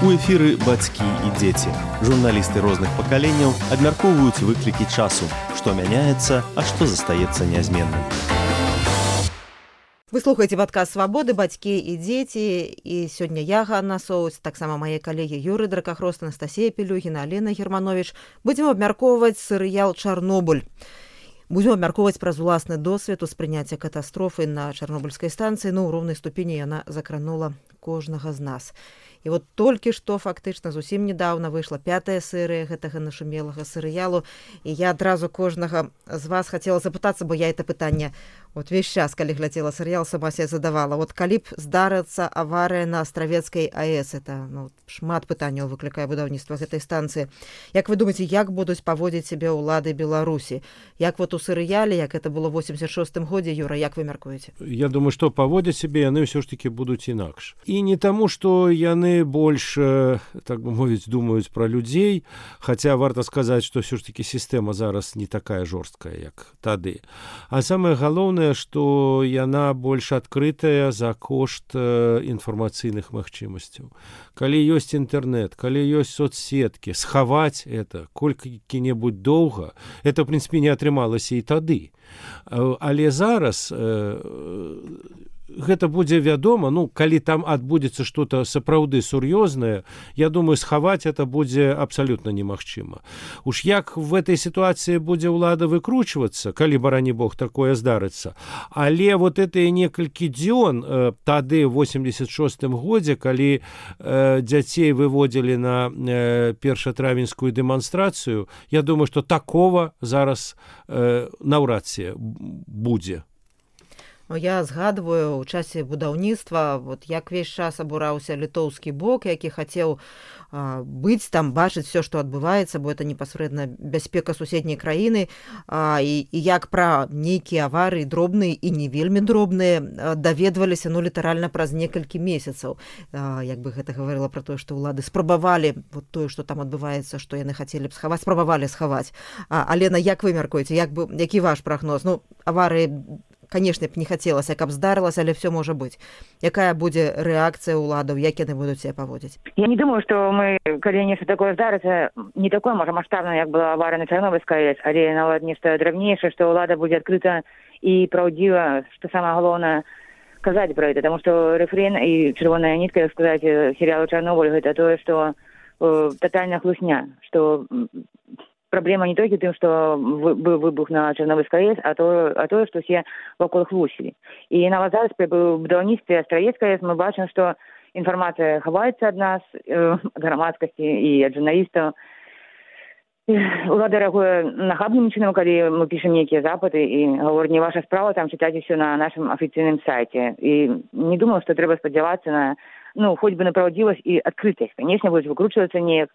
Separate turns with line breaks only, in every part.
У эфіры бацькі і дзеці. Журналісты розных пакаленняў абмяркоўваюць выклікі часу, што мяняецца, а што застаецца нязменным.
Вы слухаеце падкаст «Свабоды», бацькі і дзеці. І сёння я, Ганна Соўць, таксама мае калегі Юрый Дракахрост, Анастасія Пелюгіна, Алена Германович. Будзем абмяркоўваць серыял «Чарнобыль». Будзем абмяркоўваць праз уласны досвед успрыняцця катастрофы на чарнобыльскай станцыі. У роўнай ступені яна закранула кожнага з нас. І вот толькі што фактычна зусім недаўна выйшла 5-я серыя гэтага нашумелага серыялу. І я адразу кожнага з вас хацела запытацца, бо я это пытанне увесь час, калі глядзела серыял, сама себе задавала. Калі б здарыцца аварыя на Астравецкай АЭС, это шмат пытанняў выклікае будаўніцтва гэтай станцыі. Як вы думаеце, як будуць паводзіць сябе ўлады Беларусі? Як у серыяле, як это было в 86-м годзе, Юра, як вы мяркуеце?
Я думаю, што паводзяць сябе яны ўсё ж такі будуць інакш. І не таму, што яны больш, так бы мовіць, думаюць пра людзей, хаця варта сказаць, што ўсё ж такі сістэма зараз не такая жорсткая, як тады. А самае галоўнае, што яна больш адкрытая за кошт інфармацыйных магчымасцяў. Калі ёсць інтэрнэт, калі ёсць соцсеткі, схаваць это колькі-небудзь доўга, это, в прынцыпе, не атрымалася і тады. Але зараз гэта будзе вядома, калі там адбудзецца што-то сапраўды сур'ёзнае, я думаю, схаваць это будзе абсалютна немагчыма. Уж як в этой сітуацыі будзе ўлада выкручвацца, калі, барані Бог, такое здарыцца. Але гэтыя некалькі дзён тады, в 86-м годзе, калі дзяцей выводзілі на першатравеньскую дэманстрацыю, я думаю, што такого зараз наўрад ці будзе.
Я згадваю, у часе будаўніцтва, як весь час абураўся літоўскі бок, які хацеў быць там, бачыць все, што адбываецца, бо это непасрэдна бяспека суседняй краіны, і як пра нейкія аварыі дробныя і не вельмі дробныя даведваліся, літаральна праз некалькі месяцаў. Як бы гэта гаварыла пра тое, што ўлады спрабавалі тое, што там адбываецца, што яны хацелі б схаваць, спрабавалі схаваць. Алена, як вы мяркуеце, які ваш прагноз? Аварыі, конечно, б не хацелася, каб здарылася, але все можа быць. Якая будзе рэакцыя ўладаў, як яны будуць себе паводзіць?
Я не думаю, што мы, калі нешта такое здарыцца, не такое, можа, маштабнае, як была аварыя на Чарнобыльскай АЭС, але нават нешта драбнейшае, што ўлада будзе адкрыта і праўдзіва, што самае галоўнае, казаць пра гэта, таму што рэфрэн і чырвоная нітка, як сказаць, серыялу «Чарнобыль» гэта тое, што татальная хлусня, што праблема не толькі тым, што быў выбух на Чарнобыльскай АЭС, а тое, што ўсе вакол хлусілі. І нават зараз пры будаўніцтве Астравецкай АЭС мы бачым, што інфармацыя хаваецца ад нас, ад грамадскасці і ад журналістаў. Улада рэагуе нахабным чынам, калі мы пішам нейкія запыты і гавораць, не ваша справа, там чытаць усё на нашым афіцыйным сайце. І не думаю, што трэба спадзявацца на, хоць бы на праўдзівасць і адкрытасць. Канечне, будуць выкручвацца неяк.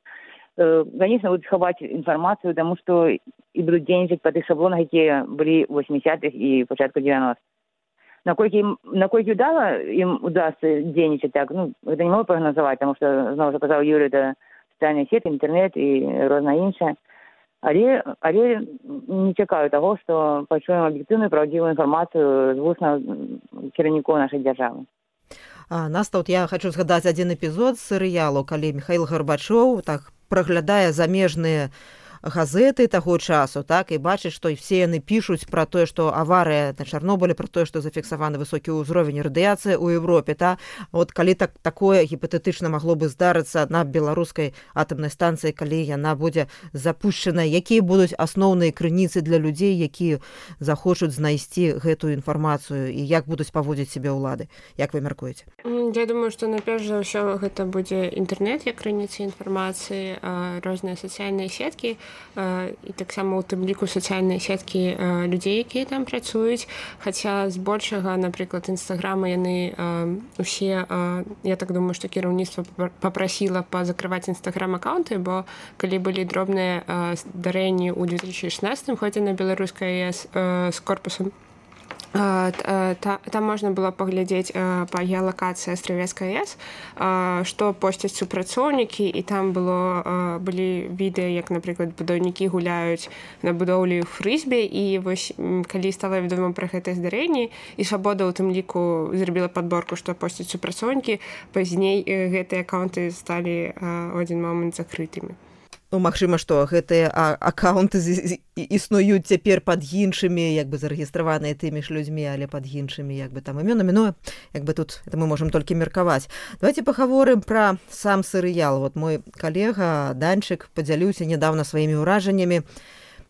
Конечно, будут сховать информацию, потому что и будут денежить по тых шаблонах, которые были в 80-х и початку 90-х. Наколькі удало им удастся денежить так, это не могу прогнозовать, потому что, знову сказал Юрий, это социальные сети, интернет и розна інше. Але не чекаю того, что почуем объективную, правдивую информацию з вусна кіраўнікоў нашай дзяржавы.
Наста, я хочу згадаць адзін эпізод з серыялу, калі Міхаіл Гарбачоў праглядае замежныя газеты таго часу, і бачыць, што все яны пішуць пра тое, што аварыя на Чарнобылі, пра тое, што зафіксаваны высокі ўзровень радыяцыі ў Европе. Калі такое гіпатэтычна магло бы здарыцца на беларускай атамнай станцыі, калі яна будзе запущена, якія будуць асноўныя крыніцы для людзей, якія захочуць знайсці гэтую інфармацыю, і як будуць паводзіць сябе ўлады? Як вы мяркуеце?
Я думаю, што найперш за ўсё гэта будзе інтэрнэт як крыніца інфармацыі, розныя сацыяльныя сеткі, і таксама ў тым ліку сацыяльныя сеткі людзей, якія там працуюць. Хаця збольшага, напрыклад, інстаграма яны усе, я так думаю, што кіраўніцтва папрасіла пазакрываць інстаграм-аккаунты, бо калі былі дробныя здарэнні ў 2016 годзе на беларускай АЭС з корпусам Там можна было паглядзець па геалакацыі Астравецкай АЭС, што посцяць супрацоўнікі, і там былі відэа, як, напрыклад, будаўнікі гуляюць на будоўлі фрызбі, і вось калі стала вядома пра гэтае здарэнне, і Свабода ў тым ліку зрабіла падборку, што посцяць супрацоўнікі, пазней гэтыя акаунты сталі ў адзін момант закрытымі.
Ну, магчыма, што гэтыя акаунты існуюць цяпер пад іншымі, як бы зарэгістраваныя тымі ж людзьмі, але пад іншымі, як бы там імёнамі. Ну, як бы тут это мы можам толькі меркаваць. Давайте пагаворым пра сам серыял. Вот мой калега Данчык падзяліўся нядаўна сваімі ўражаннямі.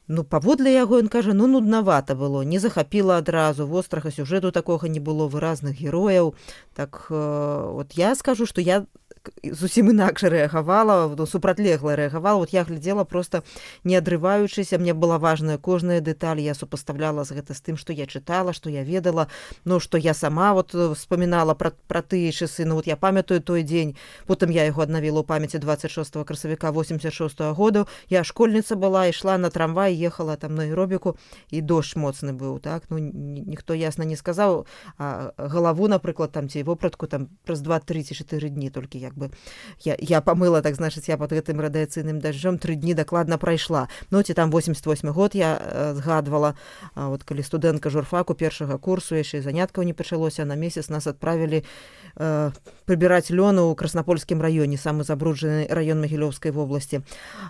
Ну, паводле яго, ён кажа, нуднавата было, не захапіла адразу, вострага сюжэту такога не было, выразных герояў. Так, вот я скажу, што я зусім інакш рэагавала, супрацьлегла рэагавала. Вот я глядзела просто не адрываючыся, мне была важная кожная дэталь, я супаставляла гэта з тым, што я чытала, што я ведала, ну, што я сама вот вспамінала пра тыя часы. Ну, вот я памятаю той дзень, потым я яго аднавіла ў памяці 26 красавіка 86 году. Я школьніца была, ішла на трамвай, ехала там на аэробіку, і дождж моцны быў, так? Ну, ніхто ясна не сказаў, а галаву, напрыклад, там ці вопратку там праз 2-3 ці 4 дні толькі як бы я памыла, так значыць, я под гэтым радыяцыйным дажджом 3 дні дакладна прайшла. Ну, ці там 88 год я згадвала, вот калі студэнтка журфаку першага курсу, яшчэ заняткаў не пачалося, на месяц нас адправілі прыбіраць лёну ў Краснапольскім раёне, самы забруджаны раён Магілёўскай вобласці.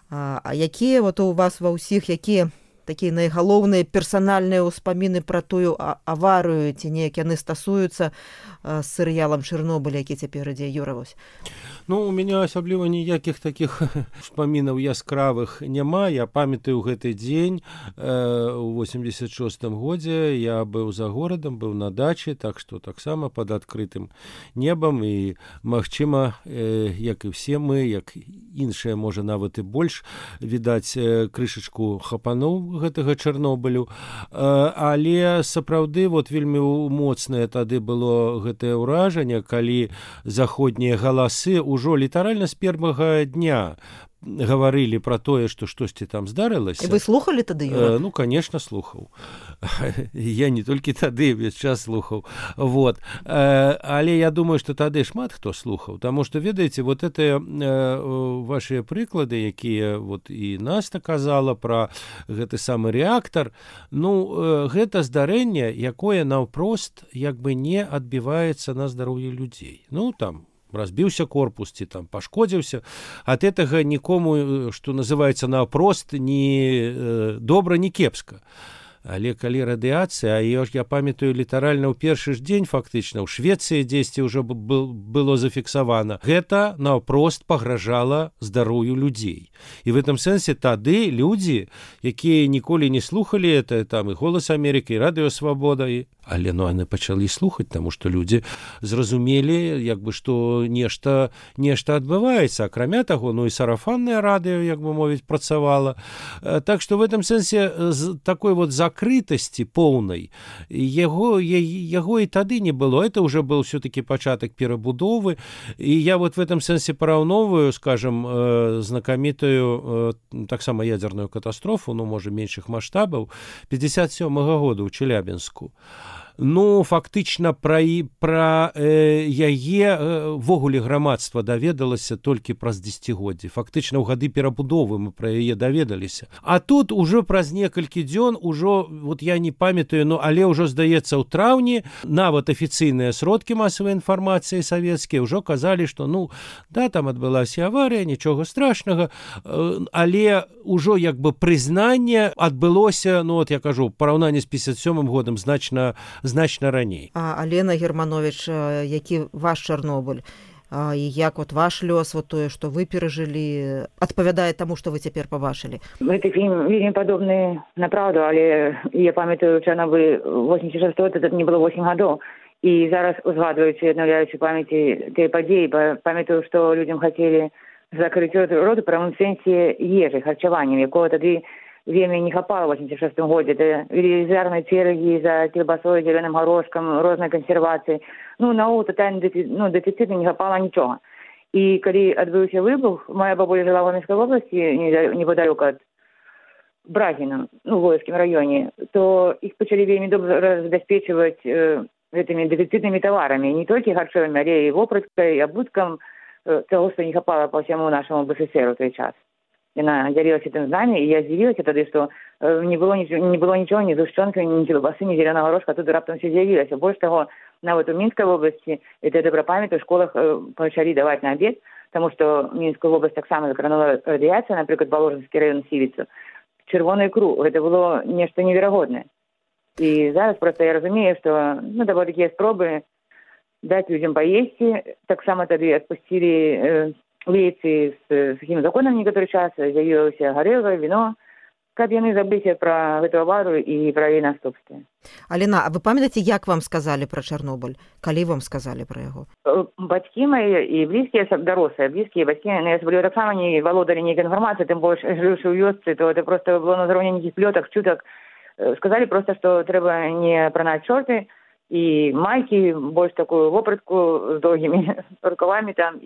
А якія вот у вас ва ўсіх, якія такія найгалоўныя персанальныя ўспаміны пра тую аварыю, ці неяк яны стасуюцца з серыялам «Чэрнобыль», які цяпер ідзе, Юра, вось?
Ну, у меня асабліва ніякіх такіх успамінаў яскравых няма. Я памятаю гэты дзень у 86-м годзе. Я быў за горадам, быў на даче, так што таксама пад адкрытым небам. І, магчыма, як і все мы, як іншыя, можа, нават і больш, відаць, крышачку хапануў гэтага Чэрнобылю. Але сапраўды вот вельмі моцнае тады было гэтае ўражанне, калі заходнія галасы ўжо літаральна з першага дня гаварылі пра тое, што штосьці там здарылася.
І вы слухалі тады, Юра?
Ну, конечно, слухаў. Я не толькі тады увесь час слухаў. Вот. Але я думаю, што тады шмат хто слухаў, таму што, ведаеце, вот это вашыя прыклады, якія вот і Наста казала пра гэты самы рэактар, ну, гэта здарэнне, якое наўпрост як бы не адбіваецца на здароўі людзей. Ну, там разбіўся корпус ці там пашкодзіўся, ад гэтага нікому, што называецца, наўпрост ні добра, ні кепска. Але калі радыяцыя, а я памятаю літаральна ў першы ж дзень фактычна ў Швецыі дзесьці ўжо было зафіксавана, гэта наўпрост пагражала здароўю людзей. І в гэтым сэнсе тады людзі, якія ніколі не слухалі это, там і «Голас Амерыкі», і «Радыё Свабода», але ну яны пачалі слухаць, таму што людзі зразумелі, як бы, што нешта адбываецца. Акрамя таго, ну і сарафаннае радыё, як бы мовіць, працавала. Так што в гэтым сэнсе з такой вот закрытасці поўнай яго і тады не было. Это уже был все-таки пачатак перабудовы. І я вот в этом сэнсе параўноўваю, скажем, знакамітую таксама ядзерную катастрофу, ну, можа, меншых маштабаў 57-го года ў Челябінску. Ну, фактычна пра яе ввогуле грамадства даведалася толькі праз дзесяцігоддзі. Фактычна ў гады перабудовы мы пра яе даведаліся. А тут ужо праз некалькі дзён, ужо, вот я не памятаю, ну, але ўжо, здаецца, ў траўні нават афіцыйныя сродкі масавай інфармацыі савецкія ўжо казалі, што, ну, да, там адбылася аварыя, нічога страшнага, але ўжо як бы прызнанне адбылося, ну, вот я кажу, параўнанне з 57-м годам значна раней.
А Алена Германович, які ваш Чарнобыль? І як вот ваш лёс, вот тое, што вы перажылі, адпавядае таму, што вы цяпер пабачылі?
Гэты фільм вельмі падобны на праўду, але я памятаю, Чарнобыль 86 год, это не было 8 гадоў. І зараз, узгадваючы, аднаўляючы памяці тыя падзеі, памятаю, што людзям хацелі закрыць роты ў прамым сэнсе ежы, харчаваннем, якого тады вельмі не хапала ў 86 годзе. Это велізарныя чэргі за кілбасой, зялёным горошкам, рознай кансервацыі. Ну, наогул тотальны дэфіцыт, не хапала нічога. І калі адбыўся выбух, моя бабуля жила в Омскай вобласці, неподалеку ад Брагіна, ну, в Лоўскім раёне, то іх пачалі вельмі добра забяспечваць гэтымі дэфіцытнымі таварамі, не толькі харчовымі, але і вопраткай, і абуткам того, што не хапала па ўсяму нашаму БССР у той час. Яна дзялілася тым з намі, і я здзівілася тады, што не было нічого, ні згушчонкі, ні кілбасы, ні зеленага горошка, тут раптам все з'явілася. Больш таго, нават у Мінскай вобласці, это добра памяць, у школах пачалі даваць на абед, таму што Мінскую вобласць таксама закранула радыяцыя, напрыклад, Воложанскі раён Сівіцу. Чырвоную ікру. Гэта было нешта неверагоднае. І зараз проста я разумею, што да было такія спробы даць людзям паесці. Таксама тады адпусцілі лейцы з сухім законам некаторы час, з'явілася гарэлка, віно, каб яны забыліся пра гэту аварыю і пра яе наступствы.
Алена, а вы памятаеце, як вам сказалі пра Чарнобыль? Калі вам сказалі пра яго?
Бацькі мае і блізкія, дарослыя, блізкія бацькі, асабліва таксама не валодалі нейкай інфармацыі, тым больш жыўшы ў вёсцы, то это просто было на ўзроўні нейкіх плётак, чутак. Сказалі проста, што трэба не апранаць шорты і майкі, больш такую вопратку з доўгімі рукавамі там,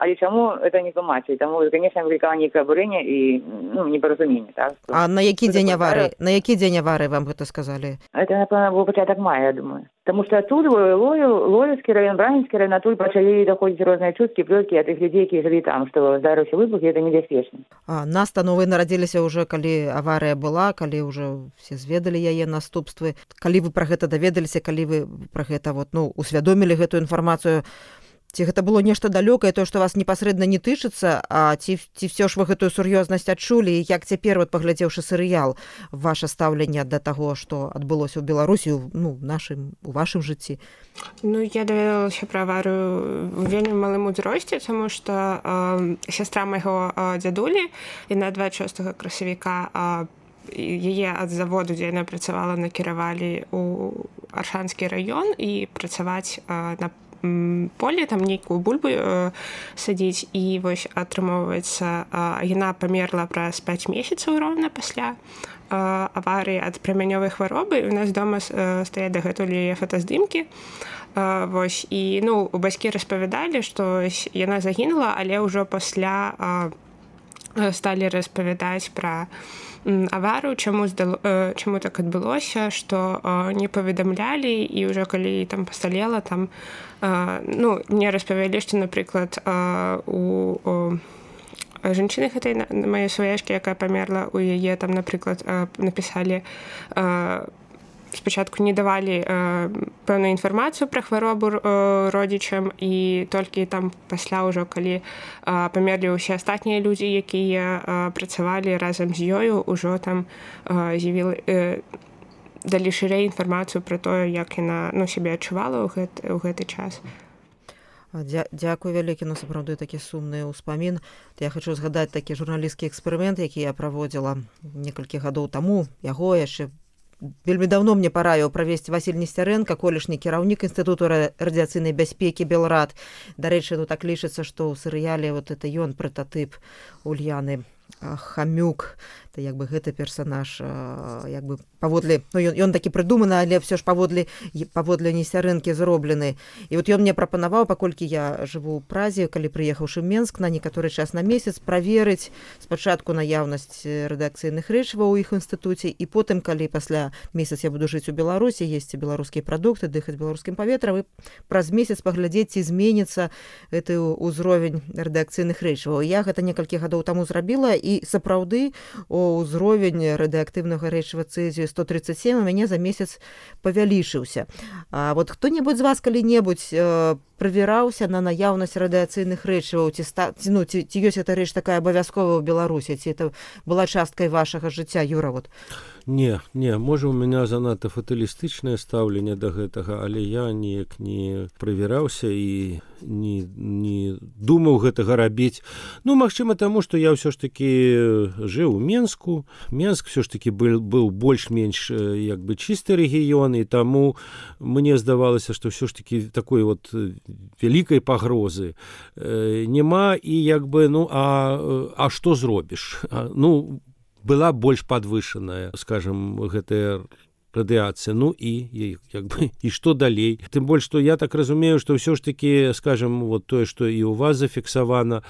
але чаму это не тлумачылі? Таму, конечно, выклікала нейкае абурэнне і непаразуменне. Так?
А на які дзень аварыі вам гэта сказалі?
Это, напэўна, быў пачатак мая, я думаю. Таму што адтуль Лоўскі раён, Брагінскі раён, адтуль пачалі даходзіць розныя чуткі, плёткі ад тых людзей, які жылі там, што здарыўся выбух, і гэта небяспечна.
Нас-то вы нарадзіліся ўжо, калі аварыя была, калі ўжо все зведалі яе наступствы. Калі вы пра гэта даведаліся, калі вы пра гэта усвядомілі гэтую інфармацыю, ці гэта было нешта далёкае, то, што вас непасрэдна не тычыцца, а ці ўсё ж вы гэтую сур'ёзнасць адчулі, і як цяпер, паглядзеўшы серыял, ваша стаўленне да таго, што адбылося ў Беларусі, у вашым жыцці?
Я даведалася пра аварыю у вельмі малым узросце, таму што сястра майго дзядулі, яна 26 красавіка яе ад заводу, дзе яна працавала, накіравалі ў Аршанскі раён і працаваць на поле, там нейкую бульбу садзіць, і вось атрымоўваецца, яна памерла праз 5 месяцаў роўна пасля аварыі ад прамянёвай хваробы. У нас дома стаяць дагэтуль яе фотаздымкі. Вось, і бацькі распавядалі, што яна загінула, але ўжо пасля сталі распавядаць пра аварыю, чаму так адбылося, што не паведамлялі, і ўжо калі там пасталела, там мне распавялі, што, напрыклад, у жанчыны гэтай маёй сваяшкі, якая памерла, у яе там, напрыклад, напісалі, спачатку не давалі пэўную інфармацыю пра хваробу родзічам, і толькі там пасля ўжо, калі памерлі ўсе астатнія людзі, якія працавалі разам з ёю, ўжо там далі шырэй інфармацыю пра тое, як яна сябе адчувала ў гэты час.
Дзякуй вялікі, сапраўды такі сумны ўспамін. Я хачу згадаць такі журналісцкі эксперымент, які я праводзіла некалькі гадоў таму. Яго яшчэ вельмі даўно мне параіў правесці Васіль Несцярэнка, колішні кіраўнік Інстытуту радыяцыйнай бяспекі Белрад. Дарэчы, так лічыцца, што ў серыяле это ён прататып Ульяны Хамюк. Это гэты персанаж паводле, ён такі прыдуманы, але все ж паводле Несцярэнкі зроблены. І ён мне прапанаваў, паколькі я жыву ў Празе, калі прыехаўшы ў Менск на некаторы час на месяц, праверыць спачатку наяўнасць рэдакцыйных рэчываў у іх інстытуце, і потым, калі пасля месяц я буду жыць у Беларусі, есці беларускія прадукты, дыхаць беларускім паветрам, і праз месяц паглядзець, ці зменіцца гэты ўзровень рэдакцыйных рэчываў. Я гэта некалькі гадоў таму зрабіла, і сапраўды ўзровень радыеактыўнага рэчыва цэзію 137 у мяне за месяц павялічыўся. А хто-небудзь з вас калі-небудзь правяраўся на наяўнасць радыяцыйных рэчываў, ці ёсць эта рэч такая абавязковая ў Беларусі, ці это была часткай вашага жыцця, Юра?
Не, можа, у меня занадта фаталістычнае стаўленне да гэтага, але я неяк не правяраўся і не думаў гэтага рабіць. Магчыма, таму, што я ўсё ж такі жыў у Менску. Менск ўсё ж такі быў больш-менш чысты рэгіён, і таму мне здавалася, што ўсё ж такі такой вялікай пагрозы няма, і а што зробіш? Была больш падвышаная, скажем, гэтая радыяцыя. Ну і як бы і што далей. Тым больш, што я так разумею, што ўсё ж такі, скажем, вот тое, што і у вас зафіксавана,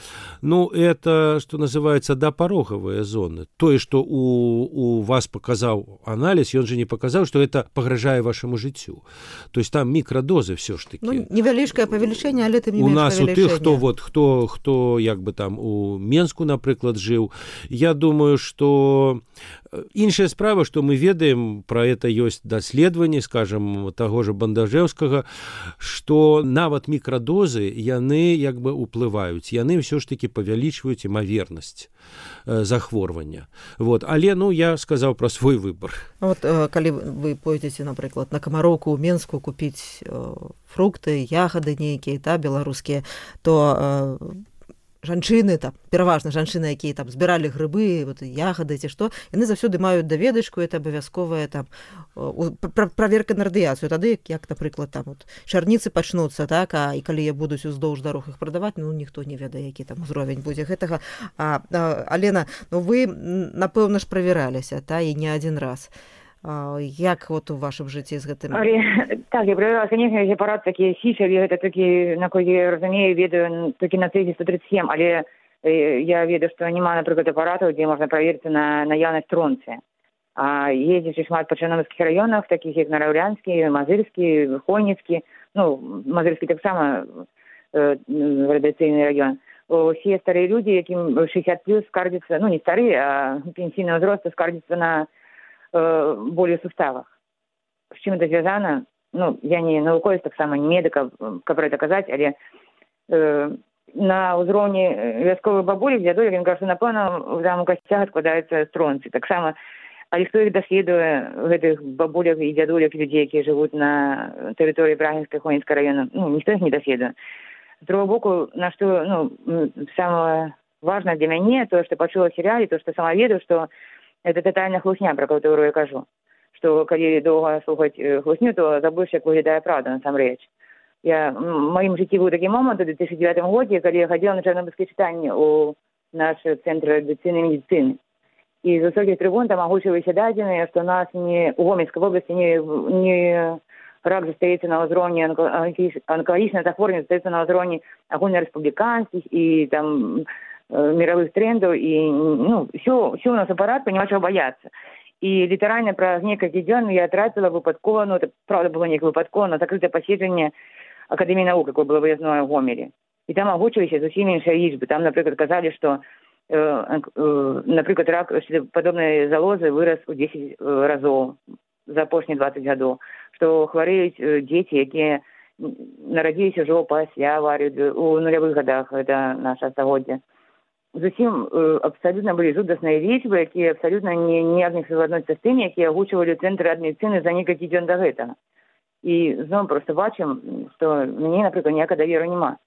ну, это, што называецца, дапароговыя зоны. Тое, што у вас паказаў аналіз, ён же не паказаў, што это пагражае вашаму жыццю. То есть там мікрадозы ўсё ж такі.
Ну, невялічкае павелічэнне, але тым не менш павелічэнне.
У нас у тых, хто як бы там у Менску, напрыклад, жыў, я думаю, што іншая справа, што мы ведаем, пра это ёсць даследаванні, скажем, таго ж Бандажэўскага, што нават мікрадозы, яны як бы ўплываюць, яны ўсё ж такі павялічваюць імавернасць захворвання. Вот. Але, ну, я сказаў пра свой выбар.
Вот, калі вы пойдзеце, напрыклад, на Камароўку ў Менску купіць фрукты, ягады нейкія, беларускія, то жанчыны, там, пераважна жанчыны, якія там збіралі грыбы, вот, ягады ці што, яны заўсёды маюць даведачку, это абавязковая там праверка на радыяцыю. Тады, як, напрыклад, там вот, чарніцы пачнуцца, так, і калі я будуць уздоўж дарог іх прадаваць, ну, ніхто не ведае, які там узровень будзе гэтага. Алена, ну, вы, напэўна ж, правяраліся, та, і не адзін раз. Як вот у вашым жыцці з гэтым?
Так, я проверила, конечно, эти аппараты такие січаві, это такі, наколькі я разумею, ведаю толькі на цэзе 137, але я ведаю, што няма, напрыклад, апаратаў, дзе можна праверыць на наяўнасць стронцыя. А ездзячы шмат па чарнобыльскіх раёнах, такіх як Нарэўлянскі, Мазырскі, Хойніцкі, ну, Мазырскі таксама радыяцыйны раён. Усе старыя людзі, якім 60+, скардзяцца, ну, не старыя, а пенсійнага ўзросту, скардзяцца на болі ў суставах. З чым это звязана? Ну, я не навуковец, таксама не медыка, каб гэта казаць, але на ўзроўні вясковых бабулек, дзядулек, ён кажа, напэўна, там у касцях адкладаюцца стронцы. Таксама, але хто іх даследуе, гэтых бабулек і дзядулек, людзей, якія жывуць на тэрыторыі Брагінскай, Хойніцкага раёна, ну, ніхто іх не даследуе. З другого боку, на што, ну, самае важнае для мяне, тое, што пачула ў серыяле, то, што сама ведаю, што это тотальная хлусня, про которую я кажу. Что, калі доўга слухаць хлусню, то забудеш, як выглядае правда, насамрэч. В маім жыцці быў такі момант у 2009 годзе, калі я хадзіла на чарнобыльскае чытанне ў наш цэнтр радыяцыйнай медыцыны. І з высокіх трыбун там агучваліся дадзеныя, што у нас у Гомельскай вобласці не рак застаецца на ўзроўні онкалагічнае захворванне застаецца на ўзроўні агульнарэспубліканскіх і там мировых трендаў, і ну, ўсё у нас апарат, няма чаго баяцца. І літаральна праз некалькі дзён я трапіла выпадкова, ну, это правда было неяк выпадкова, на закрытае паседжанне Акадэміі навук, якое было выязное ў Гомелі. І там агучваліся зусім іншыя лічбы. Там, напрыклад, казалі, што, напрыклад, рак падобнай залозы вырас у 10 разоў за апошнія 20 гадоў, што хварэюць дзеці, якія нарадзіліся ўжо пасля аварыі у нулявых гадах, гэта наша стагоддзе. Зусім абсалютна былі жудасныя лічбы, якія абсалютна не адносяцца з тымі, якія агучвалі цэнтры адмедыцыны за некалькі дзён да гэтага. І зноў проста бачым, што мне, напрыклад, ніякага даверу няма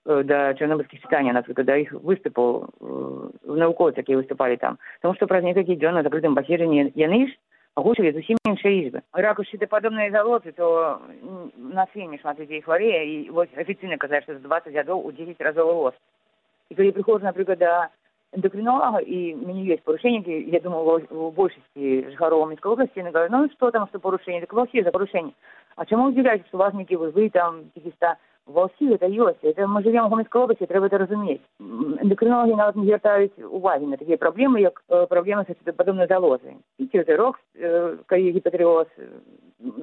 да чарнобыльскіх чытанняў, напрыклад, да іх выступаў навукоўцаў, якія выступалі там. Таму што праз некалькі дзён на закрытым паседжанні яны ж агучвалі зусім іншыя лічбы. Рак шчытападобнай залозы, то у нас вельмі шмат людзей хварэе, і вось афіцыйна казаць, што з 20 гадоў у 10 разоў рост. І калі прыходжу, напрыклад, да эндокринолога, і у мяне ёсць парушэнні, я думаю, у большасці жыхароў Мінскай обласці, яны кажуць, ну што там, што парушэнні, так ва ўсіх за парушэнні. А чаму удзіляеце, што у вас нейкі вы там каких-то ва ўсіх это ёсць? Это мы живем в Мінскай обласці, трэба это разумець. Эндокринологи нават не звяртаюць увагі на такія праблемы, як праблемы са падобнай залозай. Піце рок, калі гіпатырэоз,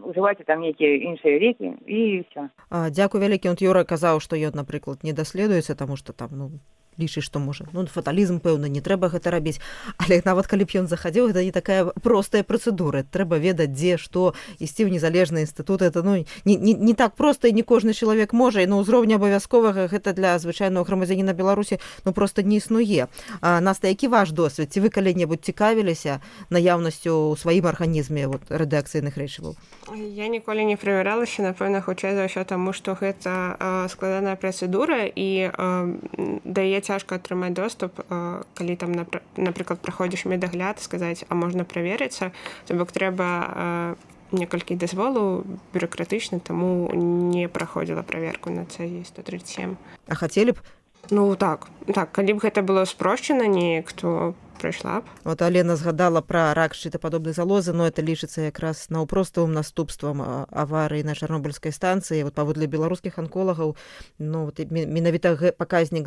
ужывайце там нейкія іншыя лекі і ўсё.
Дзякуй вялікі. Юра казаў, што ён, напрыклад, не даследуецца, таму што там, ну, лічыць, што можа, ну, фаталізм, пэўна, не трэба гэта рабіць, але нават калі б ён захадзіў, гэта не такая простая працэдура, трэба ведаць, дзе, што, ісці ў незалежны інстытут, это, ну, не так проста, і не кожны чалавек можа, і на ўзроўні абавязковага гэта для звычайнага грамадзяніна Беларусі, ну, проста не існуе. Наста, які ваш досвед? Ці вы калі-небудзь цікавіліся наяўнасцю ў сваім арганізме радыяцыйных рэчываў?
Я ніколі не правяралася, напэўна, хутчэй за ўсё таму, што гэта складаная працэдура, і дае цяжка атрымаць доступ, калі там, напрыклад, праходзіш медагляд, сказаць, а можна праверыцца, то бок трэба некалькі дазволаў бюракратычна, таму не праходзіла праверку на цэзе 137.
А хацелі б?
Ну, так, калі б гэта было спрошчана неяк, то прайшла б.
Вот Алена згадала пра рак шчытападобнай залозы, но это лічыцца якраз наўпроставым наступствам аварыі на чарнобыльскай станцыі. Вот паводле беларускіх анколагаў, ну, вот, менавіта паказнік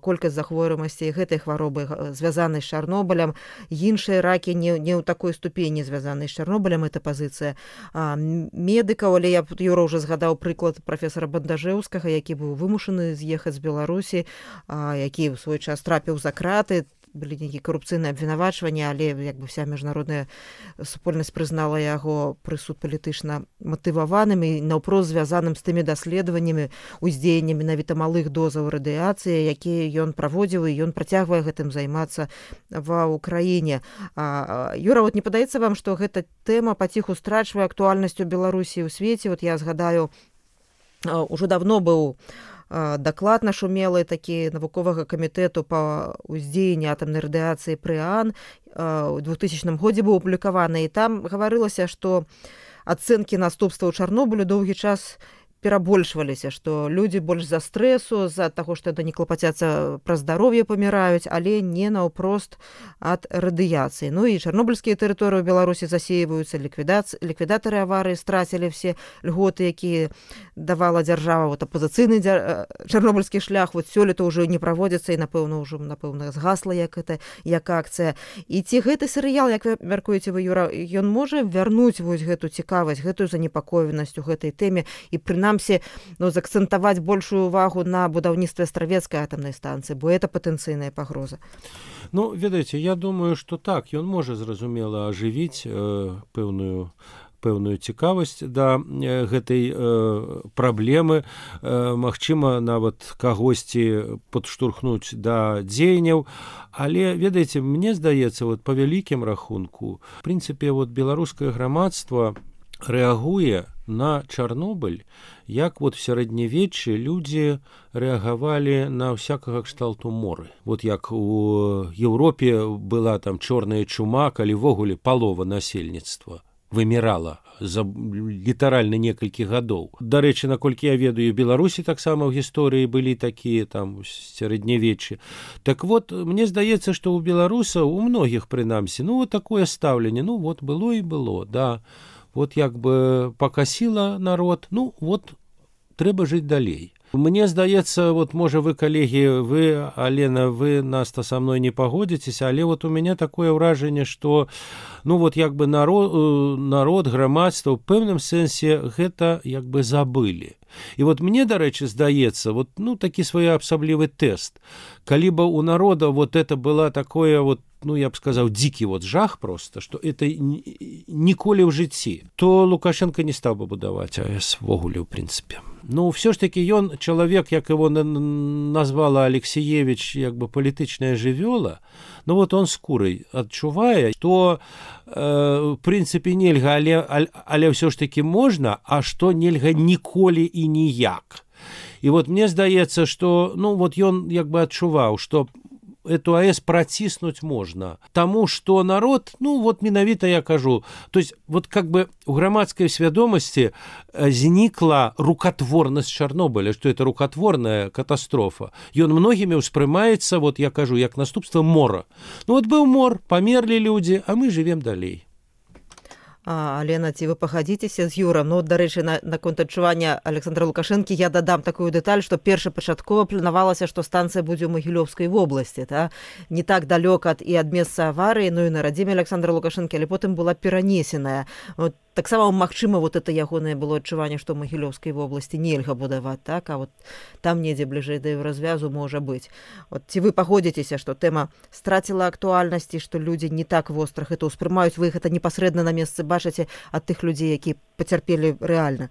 колькасць захворванасці гэтай хваробы звязанай з Чарнобылем. Іншыя ракі не ў такой ступені звязанай з Чарнобылем, это пазіцыя медыкаў, але Юра ўжо згадаў прыклад прафесара Бандажэўскага, які быў вымушаны з'ехаць з Беларусі, які ў свой час трапіў за краты, былі нейкія карупцыйныя абвінавачванні, але як бы вся міжнародная супольнасць прызнала яго прысуд палітычна матываваным і наўпрост звязаным з тымі даследаваннямі, уздзеяннем менавіта малых дозаў радыяцыі, якія ён праводзіў, і ён працягвае гэтым займацца ва ўкраіне. Юра, вот не падаецца вам, што гэта тэма паціху страчвае актуальнасць у Беларусі і ў свеце? Вот я згадаю, ужо давно быў даклад нашумелы такі навуковага камітэту па ўздзеянні атамнай радыяцыі ПРЭАН у 2000 годзе быў апублікаваны, і там гаварылася, што ацэнкі наступстваў Чарнобылю доўгі час перабольшваліся, што людзі больш за стрэсу, з-за таго, што не клапацяцца пра здароўе, паміраюць, але не наўпрост ад радыяцыі. Ну і чарнобыльскія тэрыторыі ў Беларусі засеиваюцца, ліквідатары аварыі страцілі все льготы, якія давала дзяржава. Вот апазіцыйны чарнобыльскі шлях вот сёлета ўжо не праводзіцца, і напэўна згасла як акцыя. І ці гэты серыял, як вы мяркуеце вы, Юра, ён можа вярнуць вось гэту цікавасць, гэтую занепакоенасць у гэтай тэме і прынамсі заакцэнтаваць большую увагу на будаўніцтве астравецкай атамнай станцыі, бо это патэнцыйная пагроза?
Ну, ведаеце, я думаю, што так, ён можа, зразумела, ажывіць пэўную цікавасць да гэтай праблемы, магчыма, нават кагосьці падштурхнуць да дзеянняў, але, ведаеце, мне здаецца, вот, па вялікім рахунку, в прынцыпе, вот, беларускае грамадства рэагуе на Чарнобыль, як вот в сярэднявеччы людзі рэагавалі на всякага кшталту моры. Вот як у Еўропе была там чорная чума, калі ввогуле палова насельніцтва вымірала за літаральна некалькі гадоў. Дарэчы, наколькі я ведаю, у Беларусі таксама ў гісторыі былі такія там сярэднявеччы. Так вот, мне здаецца, што у беларусаў, у многіх прынамсі, ну вот такое стаўленне, ну вот было і было, да. Вот як бы пакасіла народ, ну вот трэба жыць далей. Мне здаецца, вот можа вы, калегі, вы, Алена, вы нас-то са мной не пагодзіцеся, але вот у мяне такое ўражанне, што ну вот як бы народ, грамадства ў пэўным сэнсе гэта як бы забылі. І вот мне, дарэчы, здаецца, вот, ну, такі своеасаблівы тэст. Калі бы у народа вот это была такое вот, ну, я б сказаў, дзікі вот жах просто, што это ніколі ў жыцці, то Лукашенко не стаў бы будаваць АЭС ввогуле, ў прынцыпе. Ну, все ж таки ён чалавек, як его назвала Алексеевич, як бы палітычная жывёла, ну вот он скурай адчувае, то в прынцыпе нельга, але все ж таки можна, а што нельга ніколі і ніяк. І вот мне здаецца, што ну вот ён як бы адчуваў, што эту АЭС праціснуць можна. Таму што народ, ну вот менавіта я кажу, то есть вот как бы у грамадскай свядомасці знікла рукатворнасць Чарнобыля, што это рукатворная катастрофа. Ён многімі ўспрымаецца, вот я кажу, як наступства мора. Ну вот быў мор, памерлі людзі, а мы жывем далей.
Алена, ці вы пагадзіцеся з Юрам? Ну, дарэчы, наконт адчування Александра Лукашэнкі я дадам такую дэталь, што першапачаткова планавалася, што станцыя будзе ў Магілёўскай вобласці, не так далёка і ад месца аварыі, ну і на радзіме Александра Лукашэнкі, але потым была перанесеная. Вот, таксама магчыма вот это ягонае было адчуванне, што ў Магілёўскай вобласці нельга будаваць, так, а вот там недзе бліжэй да развязу можа быць. Вот, ці вы пагодзіцеся, што тэма страціла актуальнасці, што людзі не так востра гэта ўспрымаюць, вы гэта непасрэдна на месцы бачыце ад тых людзей, якія пацярпелі рэальна?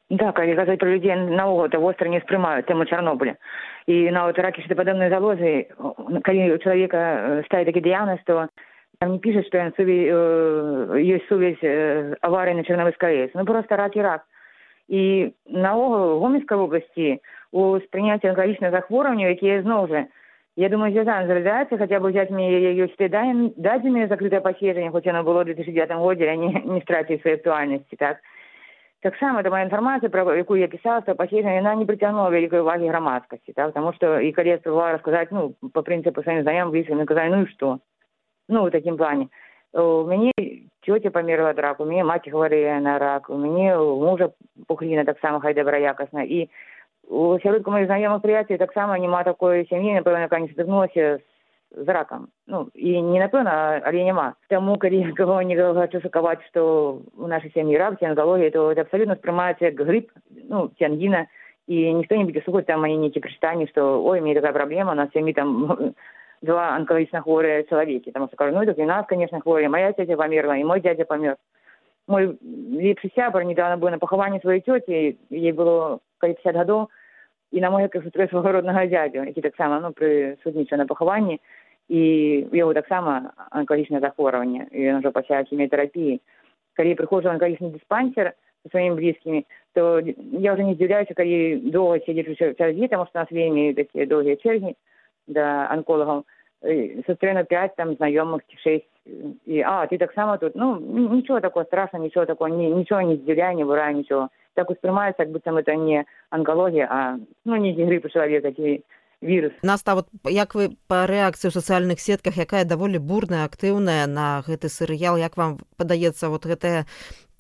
Да, калі казаць пра людзей, наогул это востра не ўспрымаюць тэму Чарнобыля. І нават ракі шчытападобнай залозы, калі у чалавека ставіць такі дыягназ, то там не пишет, что есть сувязь аварии на Чернобыльской АЭС. Ну, просто рак и рак. И наогул в Гомельской области у сприйняття онкологічних захворювань, які знову же, я думаю, зв'язано з радіацією, хоча б взяти мені її дадені закрите посіження, хоч воно було у 2009 році, а не втратили своєї актуальності, так? Таксама эта моя інфармацыя, пра якую я пісала, пасля яна не прыцягнула вялікай увагі грамадскасці, так? Таму што і калі я спрабавала расказаць, ну, па прынцыпу сваім знаёмым, блізкім, казалі, ну і што? Ну, у такім плане. У мяне цёця памерла ад раку, у мяне маці хварэе на рак, у мяне у мужа пухліна таксама хай добраякасна. І у сяродку маіх знаёмых прыяцелей таксама няма такой сям'і, напэўна, якая не сутыкнулася з ракам. Ну, і не напэўна, але няма. Таму, калі каго-нибудь хочу шакаваць, што у нашай сям'і рак ці анкалогія, то это абсалютна спрымаецца як грып, ну, ці ангіна, і ніхто не будзе слухаць там нейкія прычытанні, што ой, у мяне такая праблема, у нас сям'і там два онкологично хворые человеки. Потому что кажу, ну, это и нас, конечно, хворые. Моя тетя померла, и мой дядя помер. Мой лепший сябр недавно был на поховании своей тети, ей было 50 годов, и на мой свого родного дядю, який так само, ну, присутнічав на похованні, і в його так само онкологічне захворювання, і він вже почав хіміотерапії. Коли я приходжу в онкологічний диспансер со своими близкими, то я уже не здивляюся, коли довго сидиш в черзі, тому що у нас вельми такі довгі черги до онкологов. Сустріну 5 там знайомих, 6. І, ти так само тут. Ну, нічого такого страшного, нічого такого, нічого не здивляє, не вирає, нічого. Так воспринимается, как будто это не онкология, а, ну, не грипп у человека, ці вірус.
Наста, вот як вы па рэакцыі ў сацыяльных сетках, якая даволі бурная, актыўная на гэты серыял, як вам падаецца вот гэтае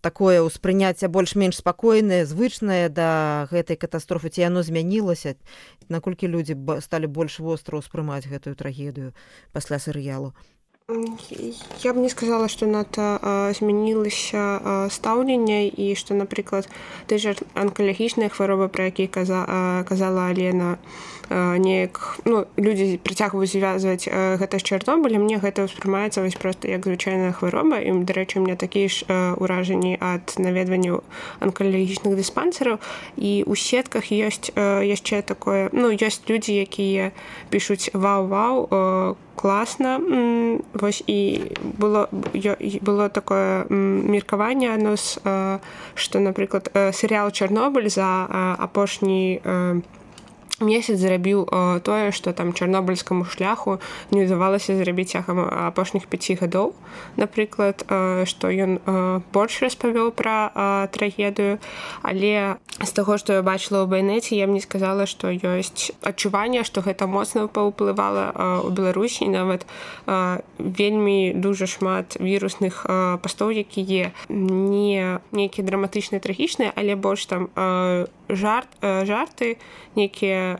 такое ўспрыняцце больш-менш спакойнае, звычнае да гэтай катастрофы, ці яно змянілася? Наколькі людзі сталі больш востра ўспрымаць гэтую трагедыю пасля серыялу?
Я б не сказала, што надта змянілася стаўленне і што, напрыклад, той жа онкалагічныя хваробы, пра якія казала Алена, неяк, ну, людзі прыцягваюць звязваць гэта з Чарнобылем, мне гэта ўспрымаецца вось проста як звычайная хвароба, і, дарэчы, у мяне такія ж ўражанні ад наведванняў онкалагічных дыспансераў, і ў сетках ёсць яшчэ такое, ну, ёсць людзі, якія пішуць вау-вау, класна. Вось і было такое меркаванне адно, што, напрыклад, серыял «Чарнобыль» за апошні месяц зрабіў тое, што там чарнобыльскаму шляху не ўдавалася зрабіць цягам апошніх 5 гадоў. Напрыклад, што ён больш распавёў пра трагедыю, але з таго, што я бачыла ў байнеце, я б не сказала, што ёсць адчуванне, што гэта моцна паўплывала ў Беларусі, і нават вельмі дужа шмат вірусных пастоў, якія не нейкія драматычныя, трагічныя, але больш там жарты, нейкія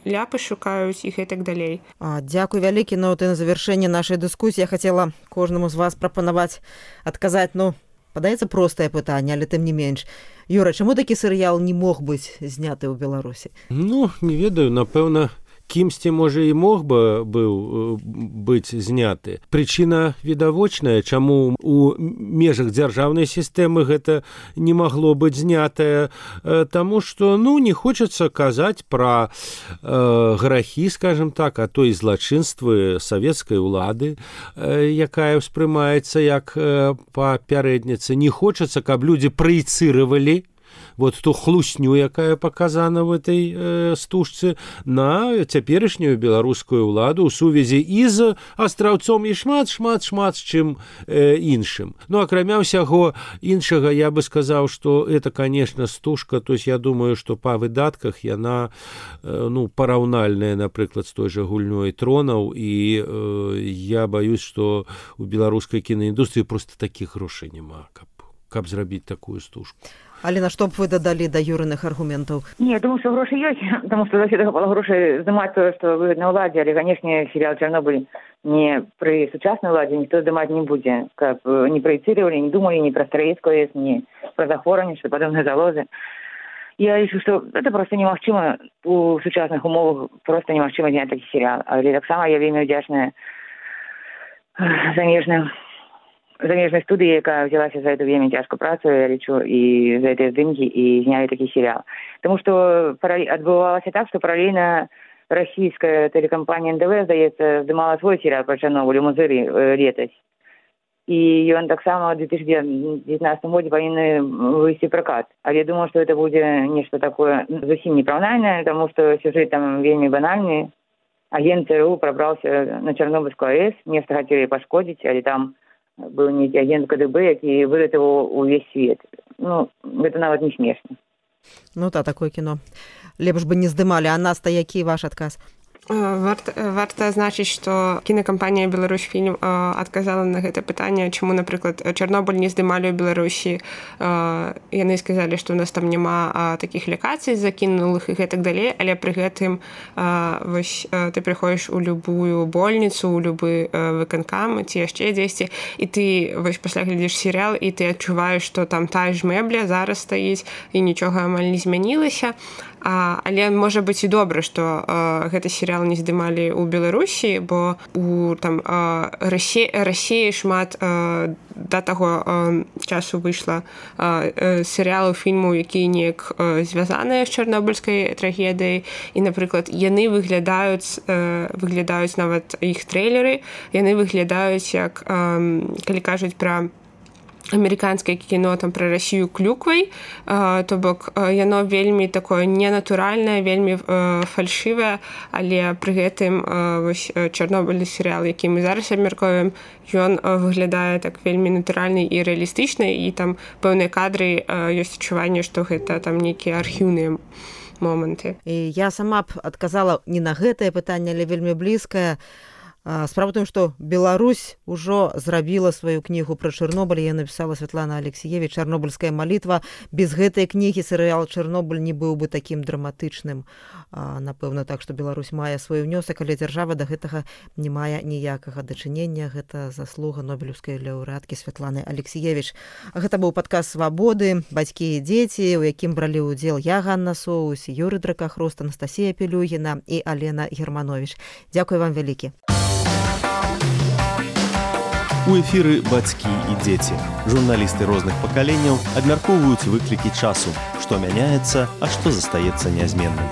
ляпы шукаюць іх і так далей.
Дзякуй вялікі. Ну, на завяршэнне нашай дыскусіі я хацела кожнаму з вас прапанаваць адказаць, ну, падаецца простае пытанне, але тым не менш. Юра, чаму такі серыял не мог быць зняты ў Беларусі? Ну,
не ведаю, напэўна, кімсьці, можа, і мог бы быць зняты. Прычына відавочная, чаму у межах дзяржаўнай сістэмы гэта не магло быць знятае, таму што, ну, не хочацца казаць пра грахі, скажем так, а то і злачынствы савецкай улады, якая ўспрымаецца як папярэдніца. Не хочацца, каб людзі праецыравалі вот ту хлусню, якая паказана в этой стужцы, на цяперашнюю беларускую ўладу ў сувязі і з астраўцом і шмат з чым іншым. Ну, акрамя ўсяго іншага, я бы сказаў, што это, конечно, стужка, то есть я думаю, што па выдатках яна, ну, параўнальная, напрыклад, з той жа гульнёй «Тронаў», і я баюсь, што у беларускай кінаіндустрыі проста такіх грошай няма, каб зрабіць такую стужку.
Алена, што б вы дадалі да Юрыных аргументаў?
Не, думаю, што грошы ёсць, таму што заўсёды хапала грошай здымаць тое, што выгадна ўладзе, але, канешне, серыял «Чарнобыль» не пры сучаснай уладзе ніхто здымаць не будзе, каб не праецыравалі, не думалі ні пра Стараецкую АЭС, ні пра захворванні, што падобныя залозы. Я лічу, што это проста немагчыма у сучасных умовах, проста немагчыма зняць такі серыял. Але таксама я вельмі ўдзячная замежнай студыі, якая взялася за эту вельмі цяжкую працу, я лічу, і за гэтыя здымкі, і знялі такі серыял. Таму што адбывалася так, што паралельна расійская тэлекампанія НДВ, здаецца, здымала свой серыял пра Чарнобыль у Мазыры летась. І ён таксама ў 2019 годзе павінны выйсці пракат. Але я думаю, што гэта будзе нешта такое зусім непраўнальнае, таму што сюжэт там вельмі банальны. Агент ЦРУ прабраўся на Чарнобыльскую АЭС, нешта хацелі пашкодзіць, але там быў нейкі агент КДБ, які выратаваў увесь свет. ну, гэта нават не смешна.
Ну да, такое кіно лепш бы не здымалі. А Наста, які ваш адказ?
Варта азначыць, што кінакампанія «Беларусьфільм» адказала на гэта пытанне, чаму, напрыклад, «Чарнобыль» не здымалі ў Беларусі. Яны сказалі, што ў нас там няма такіх лакацый закінулых і гэтак далей, але пры гэтым вось ты прыходзіш у любую больніцу, у любы выканкам ці яшчэ дзесьці, і ты вось пасля глядзіш серыял, і ты адчуваеш, што там тая ж мэбля зараз стаіць і нічога амаль не змянілася. Але можа быць і добра, што гэты серыял не здымалі ў Беларусі, бо у там Расіі шмат да таго часу выйшла серыялаў, фільмаў, якія неяк звязаныя з чарнобыльскай трагедыяй. І, напрыклад, яны выглядаюць нават іх трэйлеры, яны выглядаюць як, калі кажуць пра амерыканскае кіно там пра Расію клюквай, то бок яно вельмі такое ненатуральнае, вельмі фальшывае, але пры гэтым вось чарнобыльны серыял, які мы зараз абмяркоўваем, ён выглядае так вельмі натуральны і рэалістычны, і там пэўныя кадры ёсць адчуванне, што гэта там нейкія архіўныя моманты.
І я сама б адказала не на гэтае пытанне, але вельмі блізкае. Справа ў тым, што Беларусь ужо зрабіла сваю кнігу пра Чарнобыль, я напісала Святлана Алексіевіч «Чарнобыльская малітва». Без гэтай кнігі серыял «Чарнобыль» не быў бы такім драматычным. Напэўна, так, што Беларусь мае свой внёсак, але дзяржава да гэтага не мае ніякага дачынення. Гэта заслуга нобелеўскай лаўрэаткі Святланы Алексіевіч. Гэта быў падкаст «Свабоды. Бацькі і дзеці», у якім бралі ўдзел я, Ганна Соус, Юрый Дракахрост, Анастасія Пелюгіна і Алена Германович. Дзякуй вам вялікі.
У эфіры «Бацькі і дзеці». Журналісты розных пакаленняў абмяркоўваюць выклікі часу, што мяняецца, а што застаецца нязменным.